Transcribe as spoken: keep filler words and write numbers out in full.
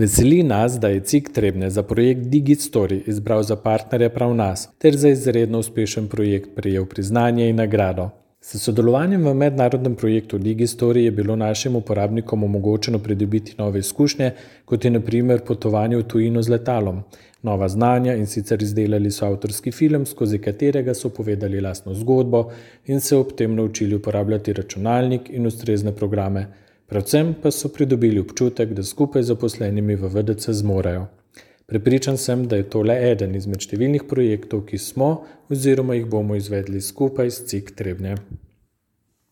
Veseli nas, da je C I K Trebnje za projekt DigiStory izbral za partnerja prav nas, ter za izredno uspešen projekt prejel priznanje in nagrado. S sodelovanjem v mednarodnem projektu DigiStory je bilo našim uporabnikom omogočeno pridobiti nove izkušnje, kot je na primer potovanje v tujino z letalom, nova znanja in sicer izdelali so avtorski film, skozi katerega so povedali lastno zgodbo in se ob tem naučili uporabljati računalnik in ustrezne programe. Predvsem pa so pridobili občutek, da skupaj z zaposlenimi v V D C zmorejo. Prepričan sem, da je to le eden izmed številnih projektov, ki smo oziroma jih bomo izvedli skupaj s C I K Trebnje.